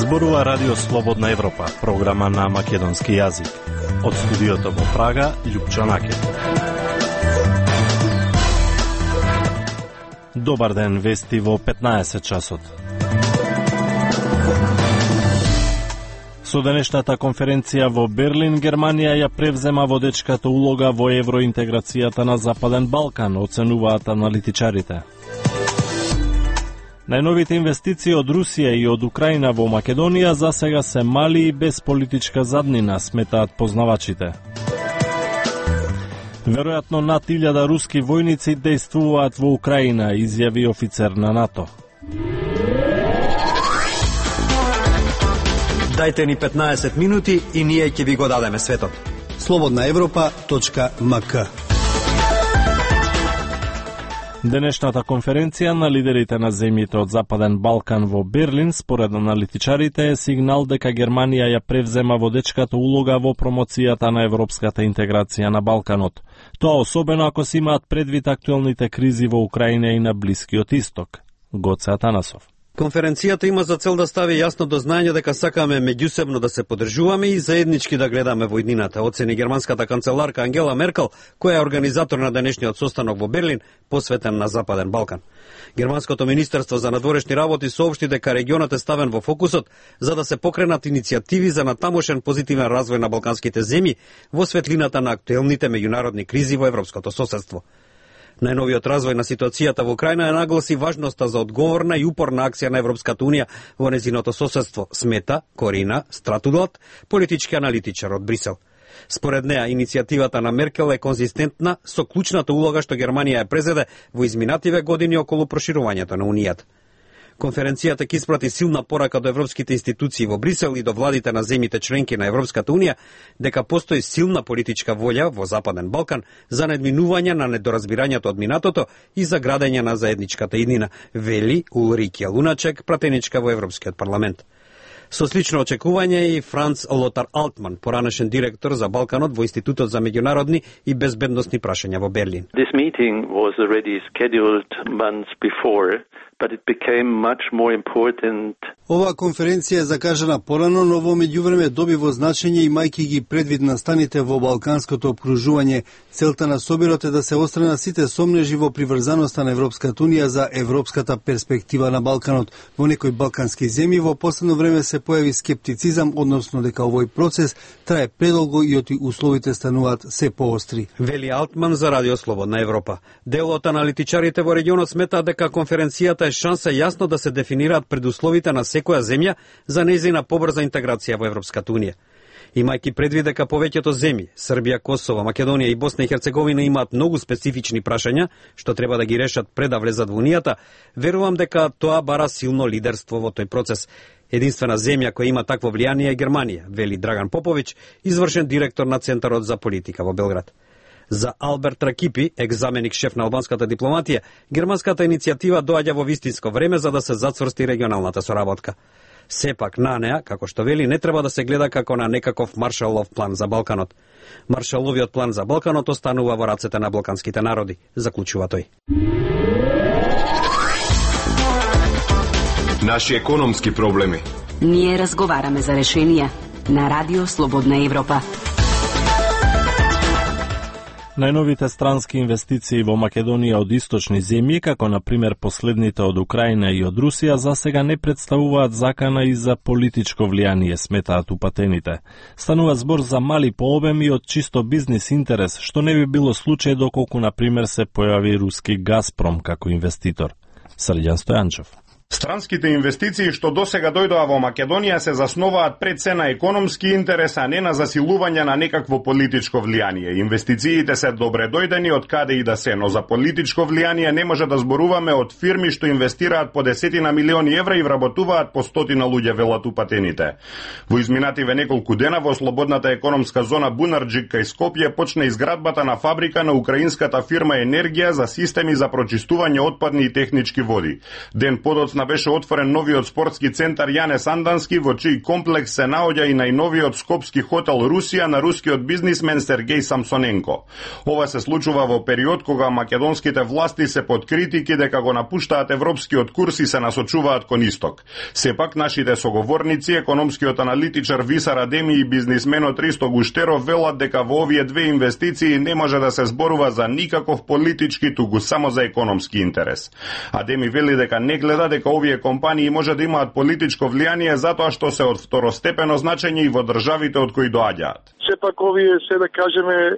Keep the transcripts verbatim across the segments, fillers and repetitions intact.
Зборува Радио Слободна Европа, програма на македонски јазик. Од студиото во Прага, Љупчо Накет. Добар ден, вести во петнаесет часот. Со денешната конференција во Берлин, Германија ја превзема водечката улога во евроинтеграцијата на Западен Балкан, оценуваат аналитичарите. Најновите инвестиции од Русија и од Украина во Македонија засега се мали и без политичка заднина, сметаат познавачите. Веројатно над илјада руски војници дејствуваат во Украина, изјави офицер на НАТО. Дајте ни петнаесет минути и ние ќе ви го дадеме светот. слободна европа точка ем ка. Денешната конференција на лидерите на земјите од Западен Балкан во Берлин, според аналитичарите, е сигнал дека Германија ја превзема водечката улога во промоцијата на европската интеграција на Балканот. Тоа особено ако се имаат предвид актуелните кризи во Украина и на Блискиот Исток. Гоце Атанасов. Конференцијата има за цел да стави јасно до знаење дека сакаме меѓусебно да се поддржуваме и заеднички да гледаме во иднината, оцени германската канцеларка Ангела Меркел, која е организатор на денешниот состанок во Берлин, посветен на Западен Балкан. Германското министерство за надворешни работи соопшти дека регионот е ставен во фокусот за да се покренат иницијативи за натамошен позитивен развој на балканските земји во светлината на актуелните меѓународни кризи во европското соседство. Најновиот развој на ситуацијата во Украина ја нагласи важноста за одговорна и упорна акција на Европската унија во незиното соседство, смета Корина Стратудлат, политички аналитичар од Брисел. Според неа, иницијативата на Меркел е конзистентна со клучната улога што Германија ја презеде во изминативе години околу проширувањето на Унијата. Конференцијата ќе испрати силна порака до европските институции во Брисел и до владите на земјите членки на Европската унија дека постои силна политичка волја во Западен Балкан за надминување на недоразбирањето од минатото и за градење на заедничката иднина, вели Улрике Луначек, пратеничка во Европскиот парламент. Со слично очекување и Франц Лотар Алтман, поранешен директор за Балканот во Институтот за меѓународни и безбедносни прашања во Берлин. This meeting was already scheduled months before, but it became much more important. Оваа конференција е закажана порано, но во меѓувреме добива значење имајќи ги предвид настаните во балканското опкружување. Целта на собирот е да се острана сите сомнежи во приврзаноста на Европската унија за европската перспектива на Балканот. Во некои балкански земји во последно време се појави скептицизам, односно дека овој процес трае предолго и оти условите стануваат се поостри. Вели Алтман за Радио Слободна Европа. Дел од аналитичарите во регионот сметаат дека конференцијата е шанса јасно да се дефинираат предусловите на секоја земја за нејзина побрза интеграција во Европската унија. Имајќи предвид дека повеќето земји, Србија, Косово, Македонија и Босна и Херцеговина имаат многу специфични прашања што треба да ги решат пред да влезат во Унијата, верувам дека тоа бара силно лидерство во тој процес. Единствена земја која има такво влијание е Германија, вели Драган Поповиќ, извршен директор на Центарот за политика во Белград. За Алберт Ракипи, екзаменик шеф на албанската дипломатија, германската иницијатива доаѓа во вистинско време за да се зацврсти регионалната соработка. Сепак на неа, како што вели, не треба да се гледа како на некаков Маршалов план за Балканот. Маршаловиот план за Балканот останува во рацете на балканските народи, заклучува тој. Наши економски проблеми. Ние разговараме за решенија на Радио Слободна Европа. Најновите странски инвестиции во Македонија од источни земји, како на пример последните од Украина и од Русија, засега не представуваат закана и за политичко влијание, сметаат упатените. Станува збор за мали по обем и од чисто бизнис интерес, што не би било случај доколку на пример се појави руски Газпром како инвеститор. Срđan Стојанчев. Странските инвестиции што досега дојдоа во Македонија се засноваат пред се на економски интерес, а не на засилување на некакво политичко влијание. Инвестициите се добре дојдени од каде и да се, но за политичко влијание не може да зборуваме од фирми што инвестираат по десетина милиони евра и вработуваат по стотина луѓе, велат упатените. Во изминативе неколку дена во слободната економска зона Бунарџик кај Скопје почна изградбата на фабрика на украинската фирма Енергија за системи за прочистување отпадни и технички води. Ден подоцна деносна беше отворен новиот спортски центар Јане Сандански, во чиј комплекс се наоѓа и најновиот скопски хотел Русија на рускиот бизнисмен Сергеј Самсоненко. Ова се случува во период кога македонските власти се под критики дека го напуштаат европскиот курс и се насочуваат кон исток. Сепак нашите соговорници, економскиот аналитичар Висар Адеми и бизнисменот Ристо Гуштеров велат дека во овие две инвестиции не може да се зборува за никаков политички, туку само за економски интерес. Адеми вели дека не гледа дека овие компании може да имаат политичко влијание затоа што се од второстепено значење и во државите од кои доаѓаат. Сепак овие се да кажеме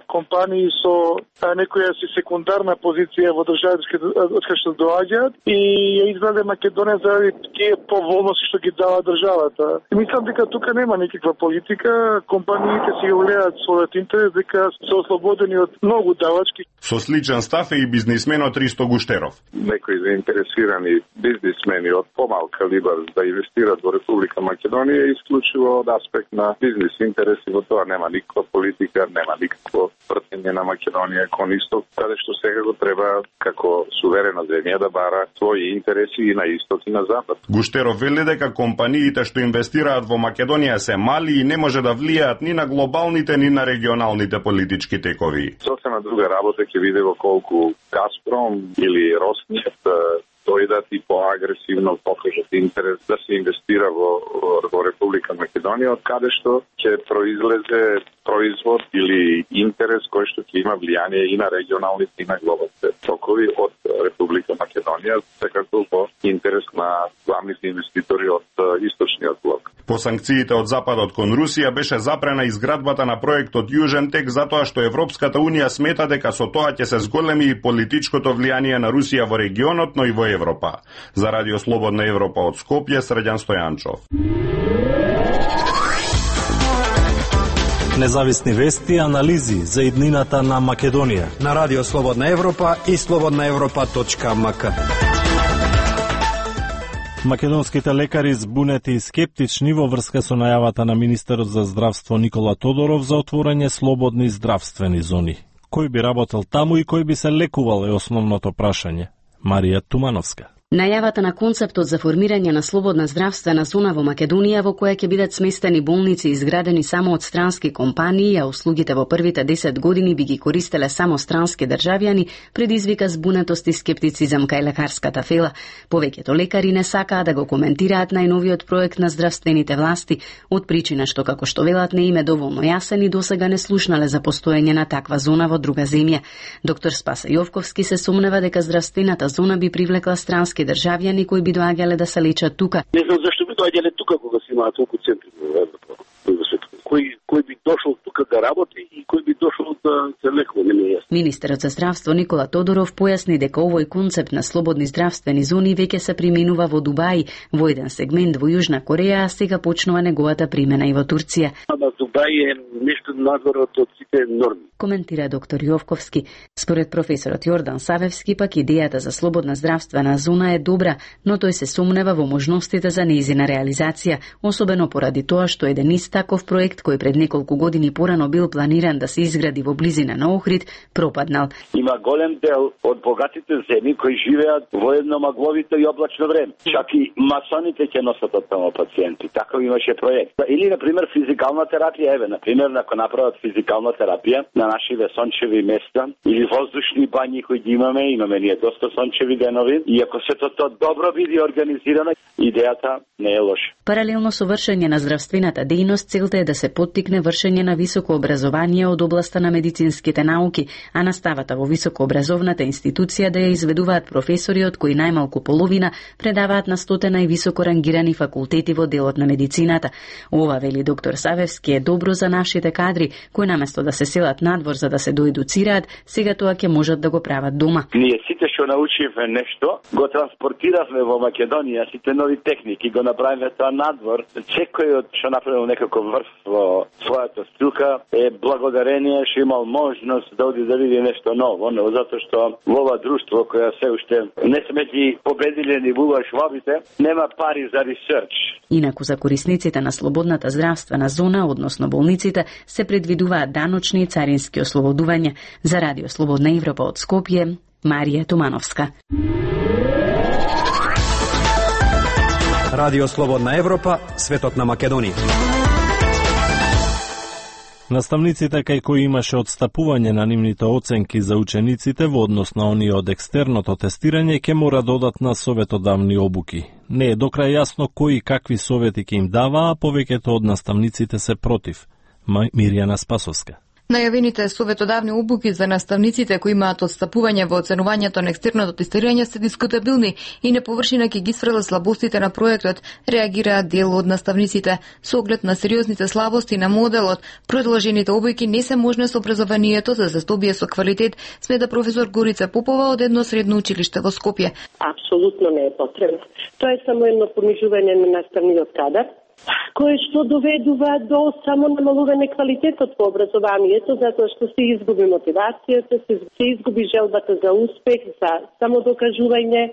компании со некоја си секундарна позиција во државите од кои што доаѓаат и ја изграде Македонија заради тие поволности што ги дава државата. И мислам дека тука нема никаква политика, компаниите си го гледаат својот интерес, дека се ослободени од многу давачки. Со сличен став е и бизнисменот Ристо Гуштеров. Некои заинтересирани бизнисмени од помал калибар да инвестираат во Република Македонија исклучиво од аспект на бизнис интереси. Во тоа нема никаква политика, нема никакво вртење на Македонија кон исток, каде што сега го треба како суверена земја да бара своји интереси и на исток и на запад. Гуштеров вели дека компаниите што инвестираат во Македонија се мали и не може да влијаат ни на глобалните ни на регионалните политички текови. Сосема друга работа ќе биде во колку Газпром или Роснефт дојдат и поагресивно покажат интерес да се инвестира во, во Република Македонија, од каде што ќе произлезе производ или интерес кој што ќе има влијание и на регионалните и на глобалните токови од Република Македонија, секако во интерес на главните инвеститори од источниот блок. По санкциите од Западот кон Русија беше запрена изградбата на проектот Јужен тек затоа што Европската Унија смета дека со тоа ќе се зголеми и политичкото влијание на Русија во регионот, но и во Европа. За Радио Слободна Европа од Скопје, Срđan Стојанчов. Независни вести и анализи за иднината на Македонија на Радио Слободна Европа и слободна европа точка ем ка. Македонските лекари збунети и скептични во врска со најавата на министерот за здравство Никола Тодоров за отворање слободни здравствени зони. Кој би работел таму и кој би се лекувал е основното прашање. Марија Тумановска. Најавата на концептот за формирање на слободна здравствена зона во Македонија во која ќе бидат сместени болници изградени само од странски компании, а услугите во првите десет години би ги користеле само странски државјани, предизвика збунетост и скептицизам кај лекарската фела. Повеќето лекари не сакаат да го коментираат најновиот проект на здравствените власти, од причина што, како што велат, не им е доволно јасен и досега не слушнале за постоење на таква зона во друга земја. Доктор Спаса Јовковски се сомнева дека здравствената зона би привлекла странски државјани кои би доаѓале да се лечат тука. Не знам зашто би доаѓале тука кога се имаат толку центри во Европа. Кој кој би дошол тука да работи и кој би дошол да се лекува, не ми е јасно. Министерот за здравство Никола Тодоров појасни дека овој концепт на слободни здравствени зони веќе се применува во Дубај, во еден сегмент во Јужна Кореја, а сега почнува неговата примена и во Турција. Ама Дубај е нешто надвор од сите норми. Коментира доктор Јовковски. Според професорот Јордан Савевски, пак идејата за слободна здравствена зона е добра, но тој се сомнева во можностите за нејзина реализација, особено поради тоа што еден ист таков проект кој пред неколку години порано бил планиран да се изгради во близина на Охрид, пропаднал. Има голем дел од богатите земји кои живеат во едно магловито и облачно време. Чак и масоните ќе носат од тамо пациенти. Таков имаше проект. Или, например, физикална терапија. Еве, например, ако направат физикална терапија на нашиве сончеви места или воздушни бањи кои ги имаме, имаме ние доста сончеви денови, и ако се тоа добро биде организирано, идејата не е лоша. Паралелно со вршење на здравствената дејност, целта е да се поттикне вршење на високо образование од областа на медицинските науки, а наставата во високообразовната институција да ја изведуваат професори од кои најмалку половина предаваат на стотина и високо рангирани факултети во делот на медицината. Ова, вели доктор Савевски, е добро за нашите кадри, кои наместо да се селат надвор за да се доедуцираат, сега тоа ќе можат да го прават дома. Ние сите што научивме нешто, го транспортиравме во Македонија, сите нови техники, го направиме тоа надвор. Секој од што направил некако врв во својата струка е благодарение што имал можност да оди да види нешто ново, но затоа што во ова друштво која се уште не сме ги победиле ни вува швабите, нема пари за ресерч. Инаку за корисниците на слободната здравствена зона, односно болниците, се предвидуваат даночни и царински ослободувања. За Радио Слободна Европа од Скопје, Марија Тумановска. Радио Слободна Европа, светот на Македонија. Наставниците кај кои имаше отстапување на нивните оценки за учениците во однос на оние од екстерното тестирање ќе мора додат на советодавни обуки. Не е до крај јасно кои и какви совети ќе им дава, а повеќето од наставниците се против. Мирјана Спасовска. Најавените советодавни обуки за наставниците кои имаат отстапување во оценувањето на екстерното тестирање се дискутабилни и на површина ќе ги сврла слабостите на проектот, реагираат дел од наставниците. Со оглед на сериозните слабости на моделот, предложените обуки не се можни со образованието за да се здобие со квалитет, смета професор Горица Попова од едно средно училиште во Скопје. Апсолутно не е потребно. Тоа е само едно понижување на наставниот кадар, кое што доведува до само намалување квалитетот во образованието, затоа што се изгуби мотивацијата, се изгуби желбата за успех, за самодокажување.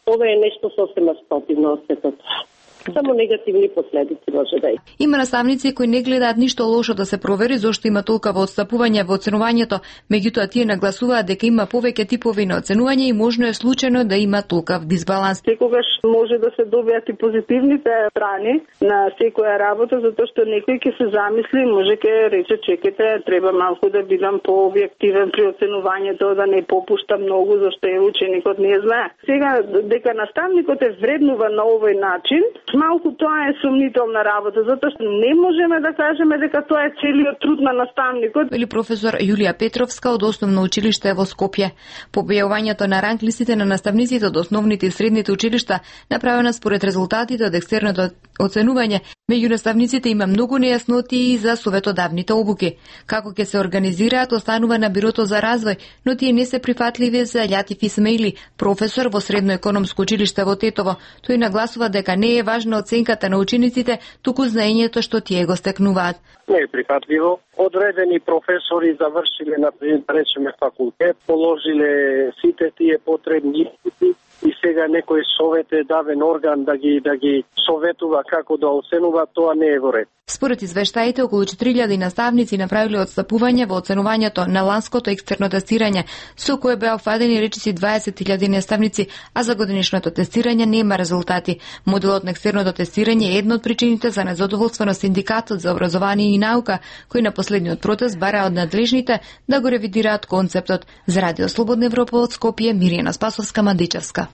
Ова е нешто сосема спротивно од сето тоа. Само негативни последици може да е. Има наставници кои не гледаат ништо лошо да се провери зошто има толкова отстапување во оценувањето, меѓутоа тие нагласуваат дека има повеќе типови на оценување и можно е случајно да има толков дисбаланс. Секогаш може да се добијат и позитивните страни на секоја работа, затоа што некој ќе се замисли, може ќе рече чекате, треба малку да бидам пообјективен при оценувањето, да не попуштам многу зашто е ученикот не знае. Сега дека наставникот е вреднува на овој начин, малку тоа е сумнителна работа, затоа што не можеме да кажеме дека тоа е целиот труд на наставникот. Или професор Јулија Петровска од Основно училиште во Скопје. По објавувањето на ранглистите на наставниците од основните и средните училишта, направена според резултатите од екстерното оценување, меѓу наставниците има многу нејаснотии за советодавните обуки. Како ќе се организираат останува на Бирото за развој, но тие не се прифатливи за Љатиф Исмаили, професор во Средно економско училиште во Тетово. Тој нагласува дека не е важна оценката на учениците, туку знаењето што тие го стекнуваат. Не е прифатливо. Одредени професори завршиле, например, да речеме факултет, положиле сите тие потребни испити и сега некој совет е давен орган да ги да ги советува како да оценува, тоа не е во ред. Според извештаите, околу четири илјади наставници направиле отстапување во оценувањето на ланското екстерно тестирање, со кое беа офадени речиси дваесет илјади наставници, а за годинишното тестирање нема резултати. Моделот на екстерното тестирање е една од причините за незадоволство на Синдикатот за образование и наука, кој на последниот протест бара од надлежните да го ревидираат концептот. За Радио Слободна Европа од Скопје, Мирјана Спасовска, Мадичевска.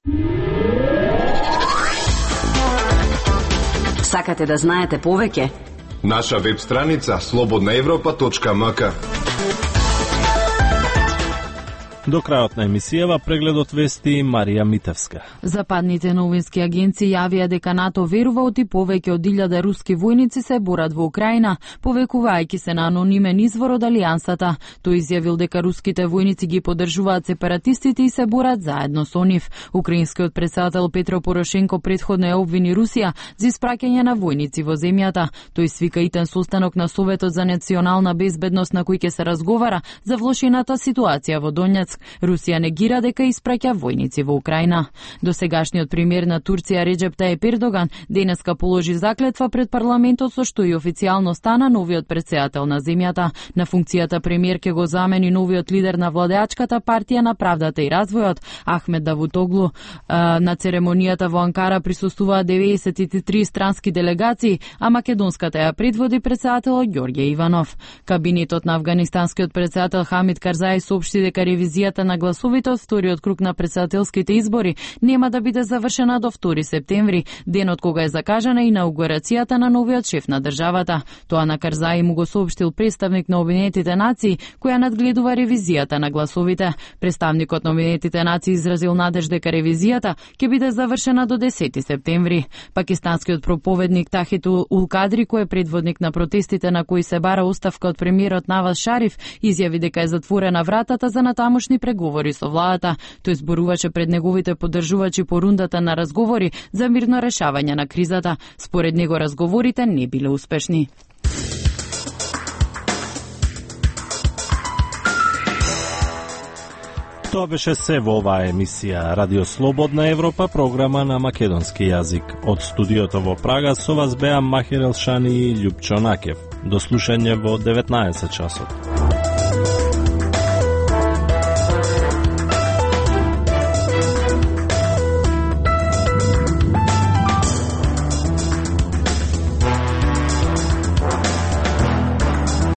Сакате да знаете повеќе? Наша веб страница слободна европа точка ем ка. До крајот на емисијава прегледот вести Марија Митевска. Западните новински агенции јавија дека НАТО верува оти повеќе од илјада руски војници се борат во Украина, повекувајќи се на анонимен извор од алијансата. Тој изјавил дека руските војници ги поддржуваат сепаратистите и се борат заедно со нив. Украинскиот претседател Петро Порошенко претходно ја обвини Русија за испраќање на војници во земјата. Тој свика итен состанок на Советот за национална безбедност на кој ќе се разговара за влошената ситуација во Донјацк. Русија негира дека испраќа војници во Украина. Досегашниот премиер на Турција Реджеп Тајип Ердоган денеска положи заклетва пред парламентот со што и официјално стана новиот претседател на земјата. На функцијата премиер ќе го замени новиот лидер на владеачката партија на правдата и развојот Ахмед Давутоглу. На церемонијата во Анкара присуствуваа деветдесет и три странски делегации, а македонската ја предводи претседателот Ѓорѓе Иванов. Кабинетот на афганистанскиот претседател Хамид Карзаи соопшти дека ревизија на гласовите од вториот круг на претседателските избори нема да биде завршена до втори септември, денот кога е закажана инаугурацијата на новиот шеф на државата. Тоа на Карзаи му го соопштил представник на Обединетите нации, која надгледува ревизијата на гласовите. Представникот на Обединетите нации изразил надеж дека ревизијата ќе биде завршена до десети септември. Пакистанскиот проповедник Тахит Ул Кадри, кој е предводник на протестите на кои се бара оставка од премиерот Наваз Шариф, изјави дека е затворена вратата за натамошни преговори со владата. Тој зборуваше пред неговите поддржувачи по рундата на разговори за мирно решавање на кризата. Според него разговорите не биле успешни. Тоа беше се во оваа емисија Радио Слободна Европа, програма на македонски јазик. Од студиото во Прага со вас беа Махир Елшани и Љупчо Накев. До слушање во деветнаесет часот.